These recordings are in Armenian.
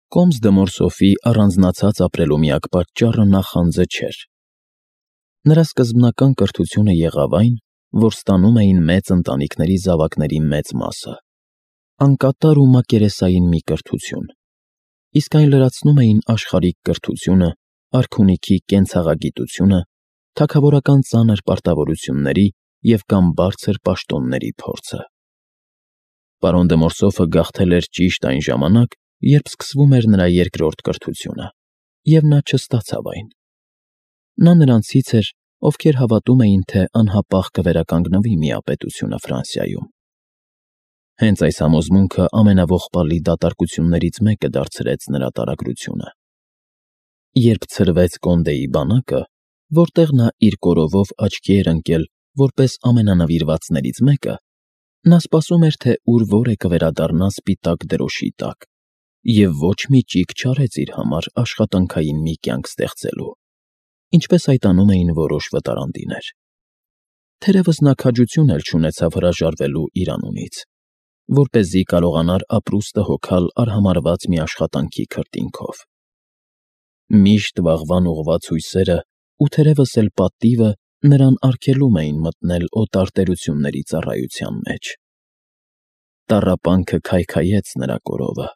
Կոմս դե Մորսոֆի առանձնացած ապրելու միակ պատճառը նախանձը չէր։ Նրա սկզբնական կրթությունը եղավ այն, որ ստանում էին մեծ ընտանիքների զավակների մեծ մասը, անկատար ու մակերեսային մի կրթություն, իսկ այն լրացնում էին աշխարհիկ կրթությունը, արքունիքի կենցաղագիտությունը, թագավորական ծանր պարտավորությունների և կամ բարձր պաշտոնների փորձը։ Պարոն դե Մորսոֆը գաղթել էր ճիշտ այն ժամանակ, երբ սկսվում էր նրա երկրորդ կրթությունը, և նա չստացավ այն։ Նա նրանցից էր, ովքեր հավատում էին, թե անհապաղ կվերականգնվի միապետությունը Ֆրանսիայում։ Հենց այս համոզմունքը ամենաողբալի դատարկություններից մեկը դարձրեց նրա տարագրությունը։ Երբ ցրվեց Կոնդեի բանակը, որտեղ նա իր կորովով աչքի էր ընկել որպես ամենանվիրվածներից մեկը, նա սպասում էր, թե ուր որ է կվերադառնա սպիտակ դրոշի տակ, և ոչ մի ճիգ չարեց իր համար աշխատանքային մի կյանք ստեղծելու, ինչպես այդ անում էին որոշ վտարանդիներ։ Թերևս նա քաջություն էլ չունեցավ հրաժարվելու իր անունից, որպեսզի կարողանար ապրուստը հոգալ արհամարհված մի աշխատանքի քրտինքով։ Միշտ վաղվան ուղղված հույսերը ու թերևս էլ պատիվը նրան արգելում էին մտնել օտար տերությունների ծառայության մեջ։ Տառապանքը քայքայեց նրա կորովը։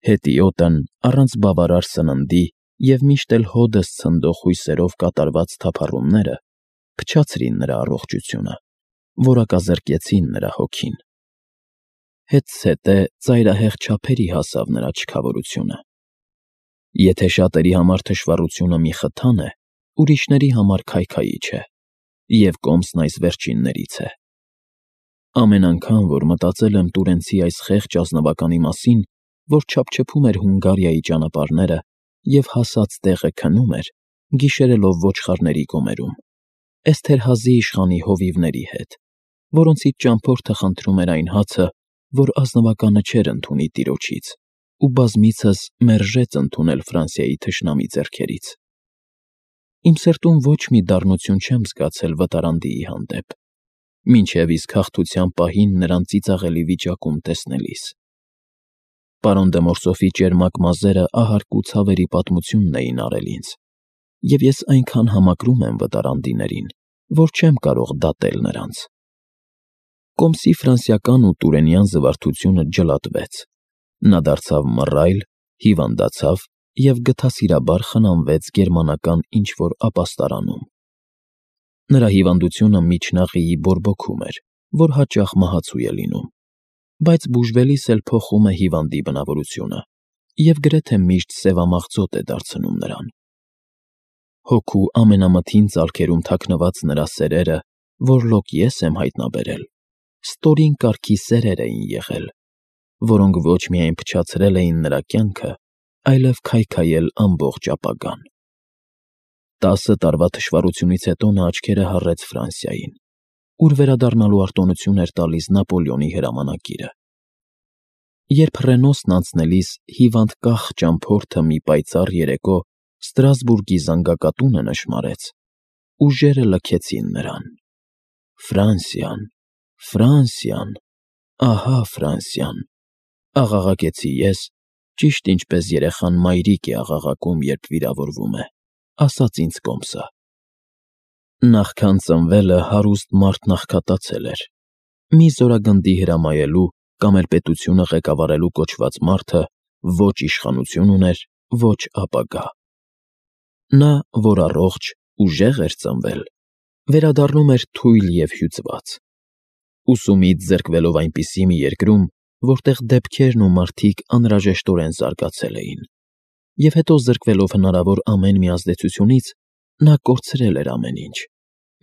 Հետիոտն առանց բավարար սննդի և միշտ էլ հօդս ցնդող հույսերով կատարված թափառումները փչացրին նրա առողջությունը, որակազրկեցին նրա հոգին։ Հետզհետե ծայրահեղ չափերի հասավ նրա չքավորությունը։ Եթե շատերի համար թշվառությունը մի խթան է, ուրիշների համար քայքայիչ է, և Կոմսն այս վերջիններից է։ Ամեն անգամ, որ մտածել եմ տուրենցի այս խեղճ ազնվականի մասին, որ չափչփում էր Հունգարիայի ճանապարհները և հասած տեղը քնում էր, գիշերելով ոչխարների գոմերում, Էսթերհազի իշխանի հովիվների հետ, որոնցից ճամփորդը խնդրում էր այն հացը, որ ազնվականը չէր ընդունի տիրոջից, ու բազմիցս մերժեց ընդունել Ֆրանսիայի թշնամի ձեռքերից։ Իմ սրտում ոչ մի դառնություն չեմ զգացել վտարանդիի հանդեպ, մինչև իսկ հաղթության պահին նրան ծիծաղելի վիճակում տեսնելիս։ Պարոն դե Մորսոֆի ճերմակ մազերը ահարկ ու ցավերի պատմությունն էին արել ինձ, և ես այնքան համակրում եմ վտարանդիներին, որ չեմ կարող դատել նրանց։ Կոմսի ֆրանսիական ու տուրենյան զվարթությունը ջլատվեց, նա դարձավ մռայլ, հիվանդացավ և գթասիրաբար խնամվեց գերմանական ինչ-որ ապաստարանում։ Նրա հիվանդությունը միջնաղիի բորբոքում էր, որ հաճախ մահացու է լինում, բայց բուժվելիս էլ փոխում է հիվանդի բնավորությունը և գրեթե միշտ սևամաղձոտ է դարձնում նրան։ Հոգու ամենամթին ծալքերում թաքնված նրա սերերը, որլոք ես եմ հայտնաբերել, ստորին կարգի սերեր էին եղել, որոնք ոչ միայն փչացրել էին նրա կյանքը, այլև քայքայել ամբողջ ապագան։ 10 տարվա թշվառությունից հետո նա աչքերը հառեց Ֆրանսիային, ուր վերադառնալու արտոնություն էր տալիս Նապոլեոնի հրամանագիրը։ Երբ Ռենոսն անցնելիս հիվանդ կախ ճամփորդը մի պայծառ երեկո Ստրասբուրգի զանգակատունը նշմարեց, ուժերը լքեցին նրան։ Ֆրանսիան, Ֆրանսիան, ահա Ֆրանսիան, աղաղակեցի ես, ճիշտ ինչպես երեխան մայրիկ է աղաղակում, երբ վիրավորվում է, ասաց ինձ Կոմսը։ Նախքան ծնվելը հարուստ մարդ աղքատացել էր, մի զորագնդի հրամայելու կամ էլ պետությունը ղեկավարելու կոչված մարդը ոչ իշխանություն ուներ, ոչ ապագա։ Նա, որ առողջ, ուժեղ էր ծնվել, վերադառնում էր թույլ և հյուծված։ Ուսումից զրկվելով այնպիսի մի երկրում, որտեղ դեպքերն ու մարդիկ անհրաժեշտորեն զարգացել էին, և հետո զրկվելով հնարավոր ամեն մի ազդեցությունից, նա կորցրել էր ամեն ինչ,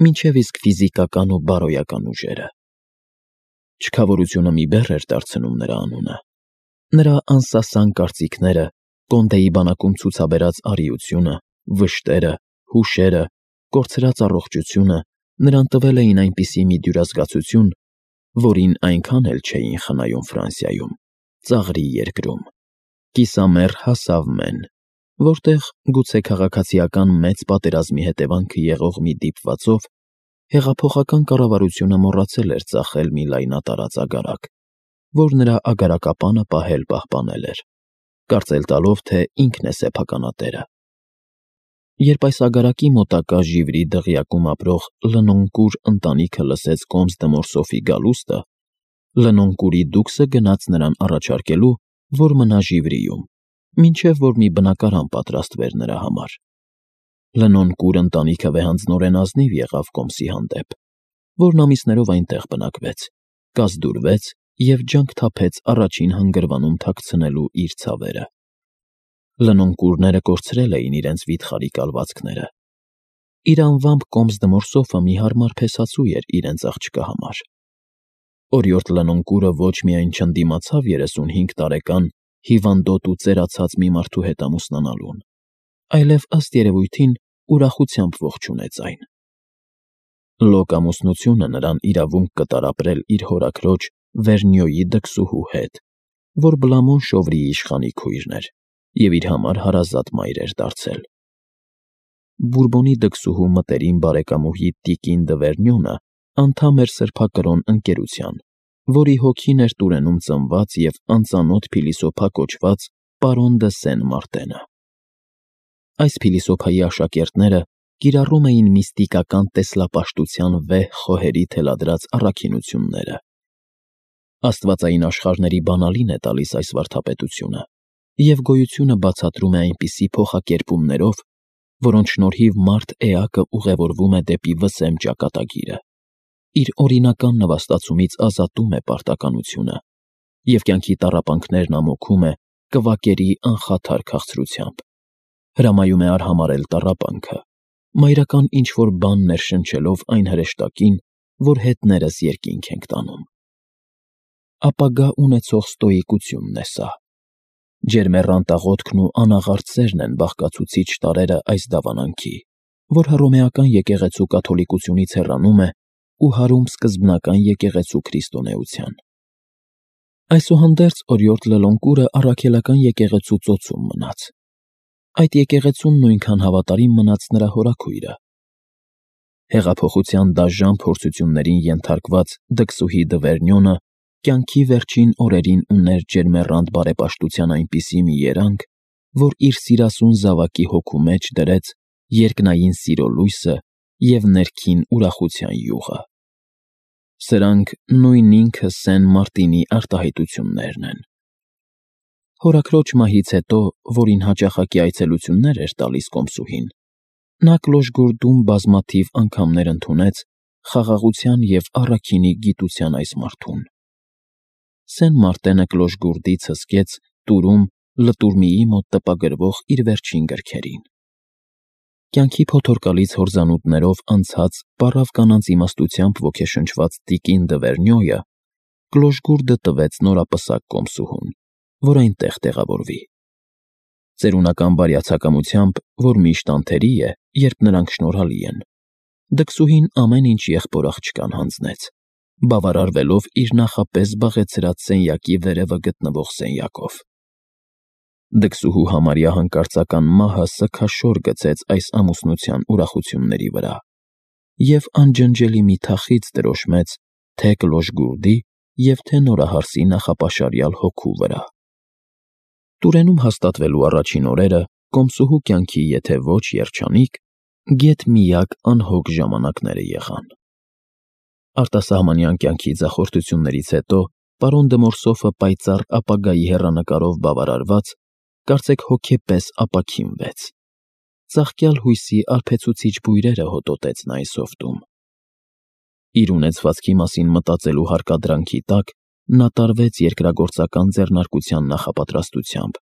մինչև իսկ ֆիզիկական ու բարոյական ուժերը։ Չքավորությունը մի բեռ էր դարձնում նրա անունը։ Նրա անսասան կարծիքները, Կոնդեի բանակում ցուցաբերած արիությունը, վշտերը, հուշերը, կորցրած առողջությունը նրան տվել էին այնպիսի մի դյուրազգացություն, որին այնքան էլ չէին խնայում Ֆրանսիայում, ծաղրի երկրում։ Կիսամեռ հասավ մեն, որտեղ, գուցե քաղաքացիական մեծ պատերազմի հետևանքը եղող մի դիպվածով, հեղափոխական կառավարությունը մոռացել էր ծախել մի լայնատարած ագարակ, որ նրա ագարակապանը պահել պահպանել էր, կարծել տալով, թե ինքն է սեփականատերը։ Երբ այս ագարակի մոտակա ժիվրի դղյակում ապրող Լնոնկուր ընտանիքը լսեց Կոմս Դմորսոֆի գալուստը, Լնոնկուրի դուքսը գնաց նրան առաջարկելու, որ մնա ժիվրիում, մինչև որ մի բնակարան պատրաստվեր նրա համար։ Լնոնկուր ընտանիքը վեհանձնորեն ազնիվ եղավ Կոմսի հանդեպ, որն ամիսներով այնտեղ բնակվեց, կազդուրվեց և ջանք թափեց առաջին հանգրվանում թաքցնելու իր ցավերը։ Լնոնկուրները կորցրել էին իրենց վիթխարի կալվածքները։ Իր անվամբ Կոմս Դմորսոֆը մի հարմար փեսացու էր իրենց աղջկա համար։ Օրիորդ Լնոնկուրը ոչ միայն չընդդիմացավ 35 տարեկան հիվանդոտ ու ծերացած մի մարդու հետ ամուսնանալուն, այլև ըստ երևույթին ուրախությամբ ողջունեց այն։ Լոկ ամուսնությունը նրան իրավունք կտար ապրել իր հորաքրոջ Վերնյոյի դքսուհու հետ, որ Բլամոն շովրիի իշխանի քույրն էր և իր համար հարազատ մայր էր դարձել։ Բուրբոնի դքսուհու մտերիմ բարեկամուհի Տիկին դը Վերնյոնը անդամ էր սրբակրոն ընկերության, որի հոգին էր Տուրենում ծնված և անծանոթ փիլիսոփա կոչված պարոն դը Սեն Մարտենը։ Այս փիլիսոփայի աշակերտները կիրառում էին միստիկական տեսլապաշտության վեհ խոհերի թելադրած առաքինությունները։ Աստվածային աշխարհների բանալին է տալիս այս վարդապետությունը և գոյությունը բացատրում է այնպիսի փոխակերպումներով, որոնց շնորհիվ մարդ էակը ուղևորվում է դեպի վսեմ ճակատագիրը, իր օրինական նվաստացումից ազատում է պարտականությունը և կյանքի տառապանքներն ամոքում է կվակերի անխաթար քաղցրությամբ, հրամայում է արհամարհել տառապանքը, մայրական ինչ-որ բան ներշնչելով այն հրեշտակին, որ հետներս երկինք ենք տանում։ Ապագա ունեցող ստոիկությունն է սա։ Ջերմեռանդ աղոթքն ու անաղարտ սերն են բաղկացուցիչ տարրերը այս դավանանքի, որ հռոմեական եկեղեցու կաթոլիկությունից հեռանում է ու հարում սկզբնական եկեղեցու քրիստոնեության։ Այսուհանդերձ օրիորդ Լնոնկուրը առաքելական եկեղեցու ծոցում մնաց։ Այդ եկեղեցուն նույնքան հավատարիմ մնաց նրա հորաքույրը։ Հեղափոխության դաժան փորձություններին ենթարկված դքսուհի դը Վերնյոնը կյանքի վերջին օրերին ուներ ջերմեռանդ բարեպաշտության այնպիսի մի երանգ, որ իր սիրասուն զավակի հոգու մեջ դրեց երկնային սիրո լույսը և ներքին ուրախության յուղը։ Սրանք նույն ինքը Սեն Մարտինի արտահայտություններն են։ Հորաքրոջ մահից հետո, որին հաճախակի այցելություններ էր տալիս Կոմսուհին, նա Կլոշգորդում բազմաթիվ անգամներ ընդունեց խաղաղության և առաքինի գիտության այս մարդուն։ Սեն Մարտենը Կլոշգորդից հսկեց Տուրում Լտուրմիի մոտ տպագրվող իր վերջին գրքերին։ Կյանքի փոթորկալից հորձանուտներով անցած պառավ կանանց իմաստությամբ ոգեշնչված Տիկին դը Վերնյոյը Կլոշգորդը տվեց նորապսակ Կոմսուհուն, որ այնտեղ տեղավորվի։ Ծերունական բարյացակամությամբ, որ միշտ անթերի է, երբ նրանք շնորհալի են, դքսուհին ամեն ինչ եղբոր աղջկան հանձնեց, բավարարվելով իր նախապես զբաղեցրած սենյակի վերևը գտնվող սենյակով։ Դքսուհու համարյա հանկարծական մահը սգաշոր գցեց այս ամուսնության ուրախությունների վրա և անջնջելի մի թախիծ տրոշմեց թե Կլոշգորդի և թե նորահարսի նախապաշարյալ հոգու վրա։ Տուրենում հաստատվելու առաջին օրերը Կոմսուհու կյանքի եթե ոչ երջանիկ, գեթ-միակ անհոգ ժամանակները եղան։ Արտասահմանյան կյանքի ձախորդություններից հետո պարոն Դմորսոֆը պայծառ ապագայի հեռանկարով բավարարված, կարծեք հոգեպես ապաքինվեց։ Ծաղկյալ հույսի արբեցուցիչ բույրերը հոտոտեց նա այս հովտում։ Իր ունեցվածքի մասին մտածելու հարկադրանքի տակ նա տարվեց երկրագործական ձեռնարկության նախապատրաստությամբ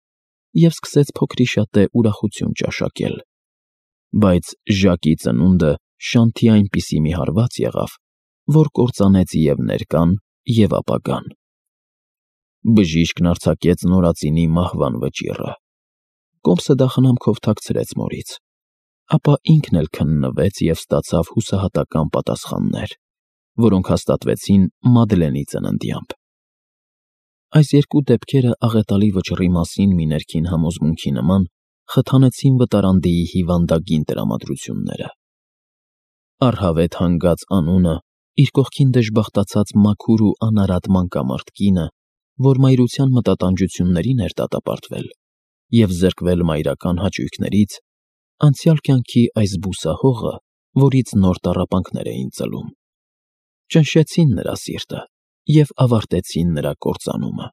և սկսեց փոքրիշատե ուրախություն ճաշակել։ Բայց Ժակի ծնունդը շանթի այնպիսի մի հարված եղավ, որ կործանեց և ներկան, և ապագան։ Բժիշկն արձակեց նորածինի մահվան վճիռը։ Կոմսը դա խնամքով թաքցրեց մորից, ապա ինքն էլ քննվեց և ստացավ հուսահատական պատասխաններ, որոնք հաստատվեցին Մադլենի ծննդյամբ։ Այս երկու դեպքերը աղետալի վճռի մասին մի ներքին համոզմունքի նման խթանեցին վտարանդիի հիվանդագին տրամադրությունները։ Առհավետ հանգած անունը իր կողքին դժբախտացած մաքուր ու անարատ մանկամարդ կինը, որ մայրության մտատանջություններին էր դատապարտվել, և զրկվել մայրական հաճույքներից, անցյալ կյանքի այս բուսահողը, որից նոր տառապանքներ էին ծլում, ճնշեցին նրա սիրտը և ավարտեցին նրա կործանումը։